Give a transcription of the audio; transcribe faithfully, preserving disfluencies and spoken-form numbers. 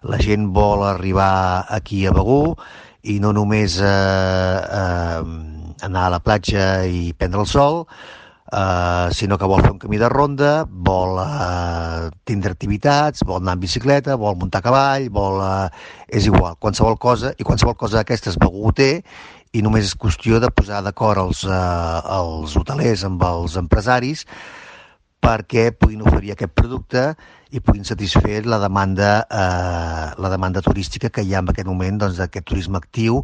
La gent vol arribar aquí a Begur i no només eh, eh, anar a la platja i prendre el sol, Uh, sinó que vol fer un camí de ronda, vol uh, tindre activitats, vol anar en bicicleta, vol muntar a cavall, vol... Uh, és igual, qualsevol cosa, i qualsevol cosa d'aquestes Begur ho té, i només és qüestió de posar d'acord els, uh, els hotelers amb els empresaris perquè puguin oferir aquest producte i puguin satisfer la demanda, eh, la demanda turística que hi ha en aquest moment, doncs, d'aquest turisme actiu